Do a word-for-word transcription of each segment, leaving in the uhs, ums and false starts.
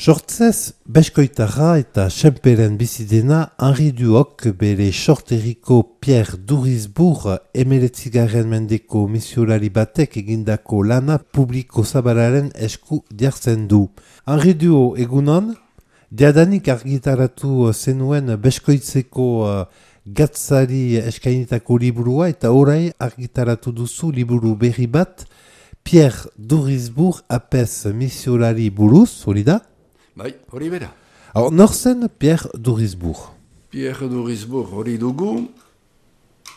Sortzez, beskoitarra eta senperen bizidena Henri Duok bere sorteriko Pierre Durisbourg emeretzigaren mendeko misiolari batek egindako lana publiko zabalaren esku jartzen du. Henri Duok egunon, diadanik argitaratu zenuen beskoitzeko uh, gatzari eskainitako liburua eta orai argitaratu duzu liburu berri bat Pierre Durisbourg apez misiolari buruz, hori da? Bai, hori bera. Alors, nor zen Pierre Durisbourg? Pierre Durisbourg hori dugu,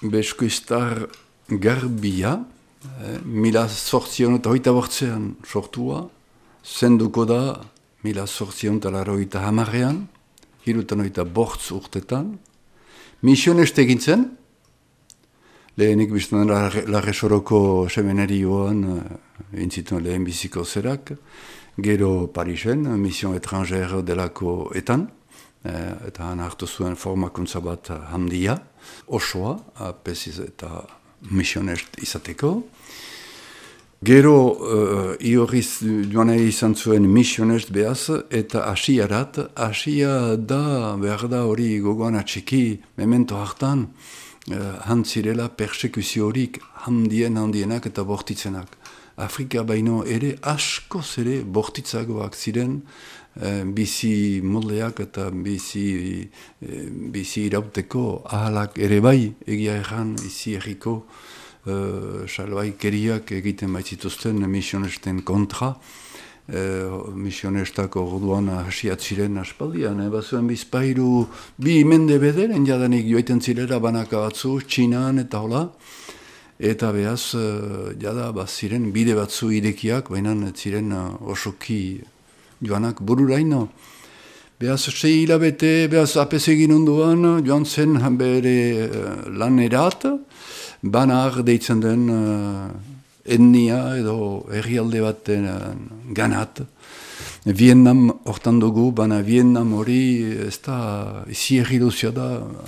beskoiztar garbia, eh, mila sortzion eta hoita bortzean sortua, zenduko da mila sortzion eta laroita hamarrean, hirutan hoita bortz urtetan, misioneste egin zen, lehenik biztan Larresoroko seminarioan uh, intzituen lehen biziko zerak, gero Parisen, mission étrangère delako etan, eh, eta han hartu zuen formakuntza bat handia, osoa, apesiz eta misionest izateko. Gero uh, iorriz joan izan zuen misionest behaz, eta asiarat, asia da, behar da hori gogoan atxiki, memento hartan, uh, hantzirela persekuzio horik handien handienak eta bortitzenak. Afrika baino ere askoz ere bortitzagoak ziren, eh, bizi moldeak eta bizi, eh, bizi irauteko ahalak ere bai, egia erran izi erriko eh, salbaikeriak egiten baitzituzten misionesten kontra. Eh, misionestak orduan hasiat ziren aspaldian, eh, bazuen bizpairu bi mende bederen jadanik joaiten zirela banaka batzu, Txinan eta hola. Eta behaz, uh, jada, ziren bide batzu irekiak, baina ziren uh, osoki joanak bururaino. Behaz, sei hilabete, behaz, apez egin onduan, joan zen bere uh, lanerat, banar deitzen den uh, etnia edo herrialde baten uh, ganat. Vietnam hortan dugu, baina Vietnam hori ez da, izi erri duzia da,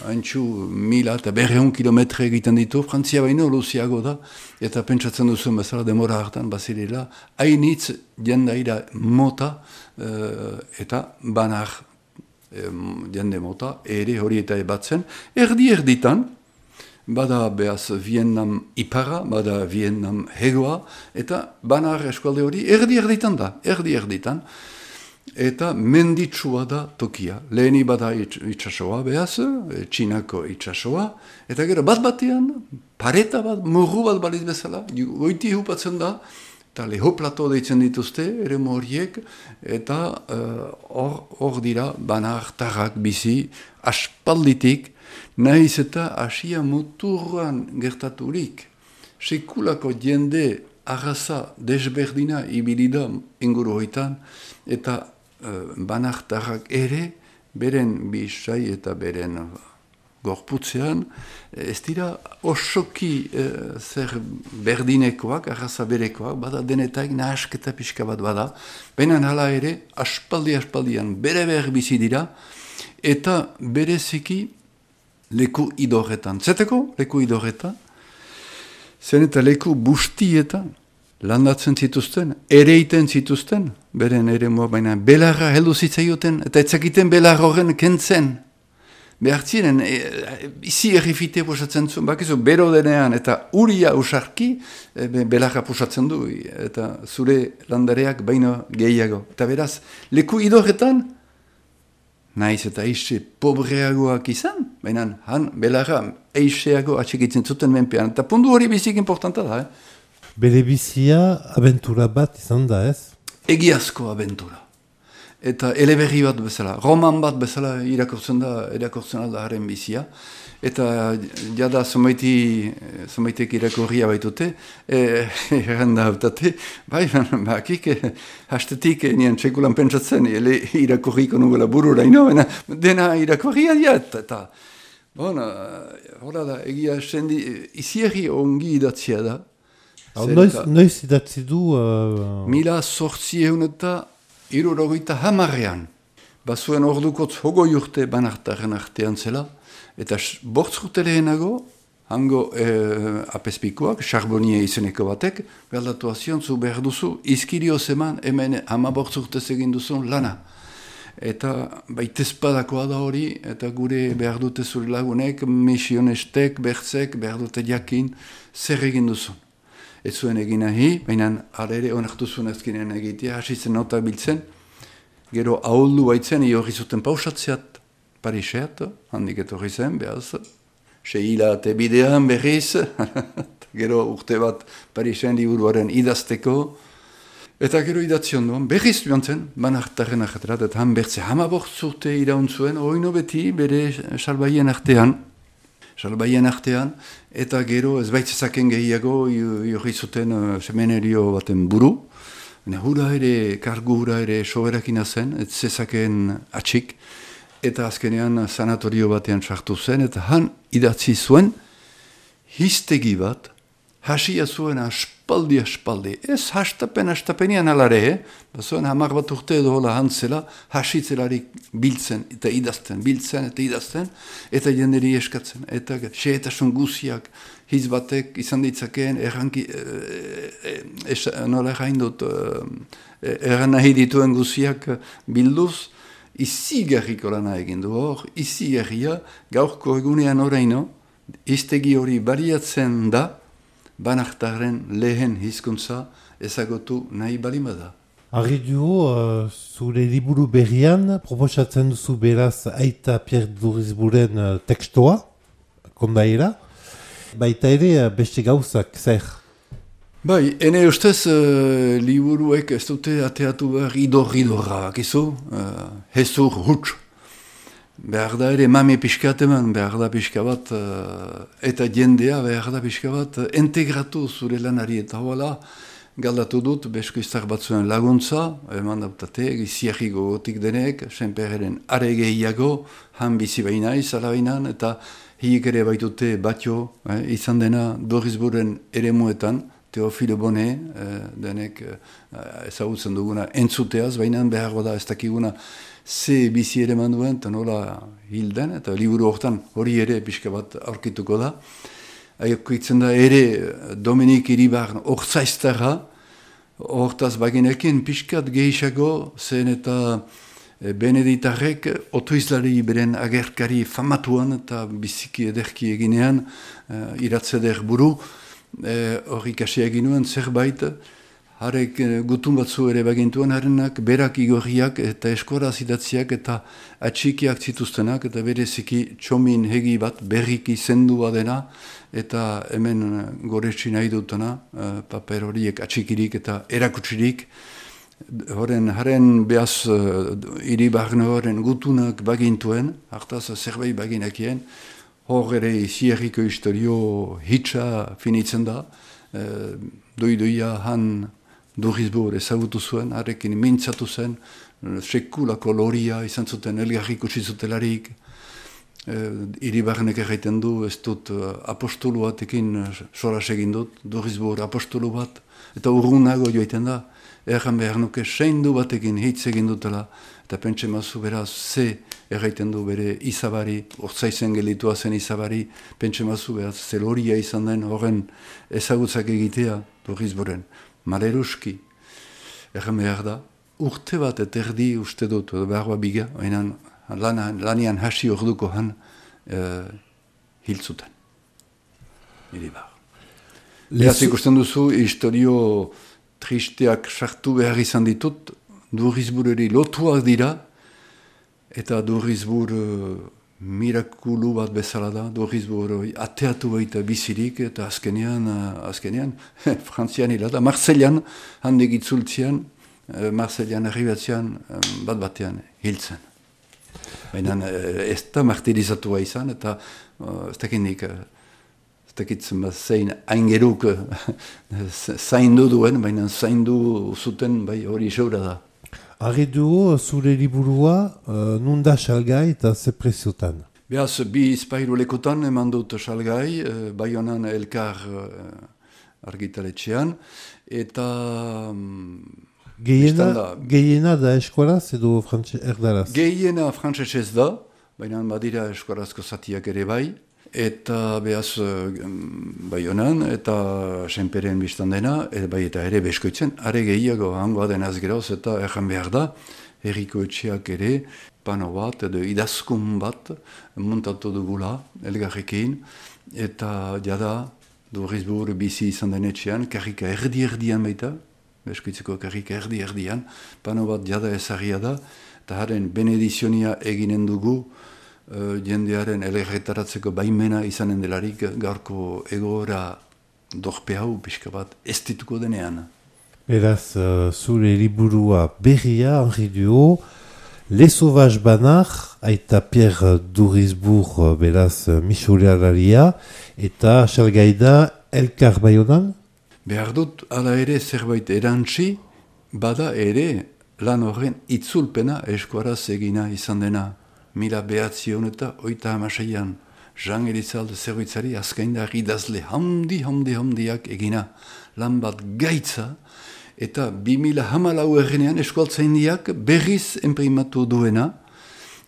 haintxu mila eta berreun kilometre egiten ditu, Frantzia baino luziago da, eta pentsatzen duzuen bezala demora hartan bazirela, hainitz jendaira mota uh, eta banar um, jende mota, ere hori eta ebatzen, erdi erditan, bada behaz Vietnam ipara, bada Vietnam hegoa, eta banar eskualde hori erdi erditan da, erdi erditan, eta menditsua da tokia. Leheni bada itxasoa behaz, Txinako itxasoa, eta gero bat batean, pareta bat, murru bat baliz bezala, goiti hupatzen da, eta leho plato deitzen dituzte, ere horiek, eta hor uh, dira banar tarrak bizi, aspalditik, nahiz eta asia muturran gertaturik, sekulako jende arraza desberdina ibilida inguru hoitan, eta uh, banartarrak ere, beren bisai eta beren gorputzean, ez dira osoki uh, zer berdinekoak, arraza berekoak, bada denetak nahasketa pixka bat bada, baina hala ere, aspaldi-aspaldian bere behar bizi dira, eta bereziki leku idorretan. Zeteko leku idorretan, zen eta leku bustietan landatzen zituzten, ereiten zituzten, beren ere moa baina belarra heldu zitzaioten, eta etzakiten belar horren kentzen. Behartzinen, e, izi errifite pusatzen zuen, bakizu, bero denean, eta uria usarki, e, belarra pusatzen du, eta zure landareak baino gehiago. Eta beraz, leku idorretan, naiz eta eixe pobreagoak izan, baina han belarra eixeago atxekitzen zuten menpean. Eta puntu hori bizik importanta da, eh? Bere bizia abentura bat izan da, ez? Egiazko abentura. Eta eleberri bat bezala, roman bat bezala irakortzen da, irakortzen da haren bizia. Eta jada zomaiti, zomaitek irakorria baitute, erran da hautate, bai, bakik, hastetik nien txekulan pentsatzen, ele irakorriko nugula burura ino, dena irakorria diat, eta, bon, hola da, egia sendi, izierri ongi idatzia da. Noiz, noiz idatzi du? Uh... Mila sortzi egun eta irurogeita hamarrean. Bazuen ordukotz hogoi urte banartaren artean zela, eta bortz urte lehenago, hango eh, apezpikoak, Charbonnier izeneko batek, galdatu azion zu behar duzu, izkirio zeman hemen hama bortz urtez egin duzun lana. eta baitezpadakoa da hori, eta gure behar dute zure lagunek, misionestek, bertzek, behar dute jakin, zer egin duzun. Ez zuen egin nahi, baina ala ere onartu zuen ezkinen egitea, hasitzen notak biltzen, gero ahuldu baitzen, iorri zuten pausatzeat, Pariseat, handik etorri zen, behaz, sehilate bidean berriz, gero urte bat Parisen liburuaren idazteko, eta gero idatzi ondoan, berriz joan zen, banartaren ajetrat, eta han bertze hamabortz urte iraun zuen, oino beti bere salbaien artean, salbaien artean, eta gero ez baitzezaken gehiago jorri zuten uh, semenerio baten buru, hura ere, kargu hura ere soberakina zen, ez zezaken atxik, eta azkenean sanatorio batean sartu zen, eta han idatzi zuen, hiztegi bat, hasia zuen aspaldi aspaldi. Ez hastapen hastapenian alare, eh? Bazuen hamar bat urte edo hola hantzela, hasitzelarik biltzen eta idazten, biltzen eta idazten, eta jenderi eskatzen. Eta xehetasun guziak, hiz batek izan ditzakeen, erranki, e, e, nola errain dut, e, erran nahi dituen guziak bilduz, izigarriko lana egin du hor, izigarria, gaurko egunean oraino, hiztegi hori bariatzen da, banartaren lehen hizkuntza ezagutu nahi balima da. Argi dugu, uh, zure liburu berrian, proposatzen duzu beraz Aita Pierre Durisburren uh, tekstoa, kondaira, baita ere uh, beste gauzak, zer? Bai, ene ustez uh, liburuek ez dute ateatu behar idor-idorra, kizu, uh, hezur huts. Behar da ere mami pixkat eman, behar da pixka bat, uh, eta jendea behar da pixka bat, uh, integratu zure lanari eta hola, galdatu dut, beskoiztar batzuen laguntza, eman dautate, giziarri gogotik denek, senperren are gehiago, han bizi baina izala bainan, eta hiik ere baitute batio, eh, izan dena Durisburren eremuetan, Teofilo Bone, eh, denek eh, ezagutzen duguna entzuteaz, baina behar da ez dakiguna ze bizi ere manduen, eta nola hilden, eta liburu hortan hori ere pixka bat aurkituko da. Aiokitzen da ere Dominik Iribarren orzaiztara, hortaz baginekin pixkat gehiago, zen eta Beneditarrek otoizlari beren agerkari famatuan eta biziki ederki eginean, uh, iratzeder buru, hori e, kasi egin nuen zerbait, harek gutun batzu ere bagintuen, harenak berak igorriak eta eskoraz idatziak eta atxikiak zituztenak, eta bereziki txomin hegi bat berriki zendua dena, eta hemen goretsi nahi dutena, paper horiek atxikirik eta erakutsirik, horren haren behaz uh, Iribarren horren gutunak bagintuen, hartaz zerbait baginakien, hor ere izierriko historio hitsa finitzen da, e, doi-doia han Durisburg ezagutu zuen, harekin mintzatu zen, sekulako loria izan zuten elgarrik utzi zutelarik, e, Iribarrenek erraiten du, ez dut apostolu batekin soras egin dut, Durisburg apostolu bat, eta urrunago joiten da, erran behar nuke seindu batekin hitz egin dutela, eta pentsa mazu beraz ze erraiten du bere izabari, ortsaizen gelitua zen izabari, pentsa mazu beraz zeloria izan den horren ezagutzak egitea Durisburren. Maleruski, erran behar da, urte bat eta erdi uste dut, behar biga, hainan lanian hasi orduko han uh, hiltzuten. Iribar. Beraz ikusten duzu, historio tristeak sartu behar izan ditut, Durisburreri lotuak dira, eta Durisburg uh, mirakulu bat bezala da, Durisburg ateatu baita bizirik, eta azkenean, uh, azkenean, frantzian hilada, Marseillan, handik itzultzian, uh, Marseillan arribatzean, um, bat batean hiltzen. Baina uh, ez da martirizatua izan, eta uh, ez dakindik, uh, ez dakitzen bat zein aingeruk zaindu duen, baina zaindu zuten bai hori seura da. Argi dugu, zure liburua, uh, nunda salgai eta ze preziotan? Beaz, bi izpairu lekotan eman dut salgai, uh, Baionan elkar uh, argitaletxean, eta... Um, Gehiena, da, gehiena da eskuaraz edo erdaraz? Gehiena frantzesez da, baina badira eskuarazko zatiak ere bai, eta behaz Baionan, eta senperen biztan dena, e, bai eta ere beskoitzen, are gehiago hangoa denaz geroz, eta erran behar da, Herriko etxeak ere, pano bat, edo idazkun bat, montatu dugula, elgarrekin, eta jada, Durisburg bizi izan den etxean, karrika erdi-erdian baita, Beskoitzeko karrika erdi-erdian, pano bat jada ezagia da, eta haren benedizionia eginen dugu, uh, jendearen elgerretaratzeko baimena izanen delarik, gaurko egoera dorpe hau, pixka bat, ez dituko denean. Beraz, uh, zure liburua berria, Henri Duhaut, Les Sauvages Banach, aita Pierre Durisburg, beraz, misoleraria, eta salgaida Elkar Baionan? Behar dut, ala ere zerbait erantzi, bada ere lan horren itzulpena eskuaraz egina izan dena. Mila behatzion eta oita hamaseian. Jean Elizalde zerbitzari azkaindar idazle handi, handi, handiak egina. Lan bat gaitza, eta bi mila hamalau errenean eskualtzaindiak berriz enprimatu duena,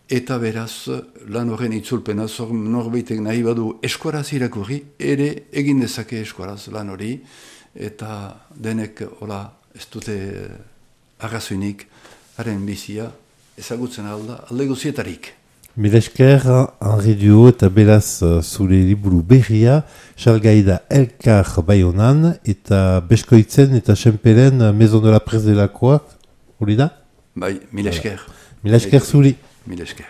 eta beraz lan horren itzulpena, zor norbaitek nahi badu eskuaraz irakurri, ere egin dezake eskuaraz lan hori, eta denek hola ez dute arrazoinik haren bizia ezagutzen alda alde guzietarik. Mila esker, Henri Duhaut eta beraz zure liburu berria, salgaida Elkar Baionan eta Beskoitzen eta Senperen Maison de la Presse delakoak, hori da? Bai, mila esker. Mila esker zuri. Mila esker.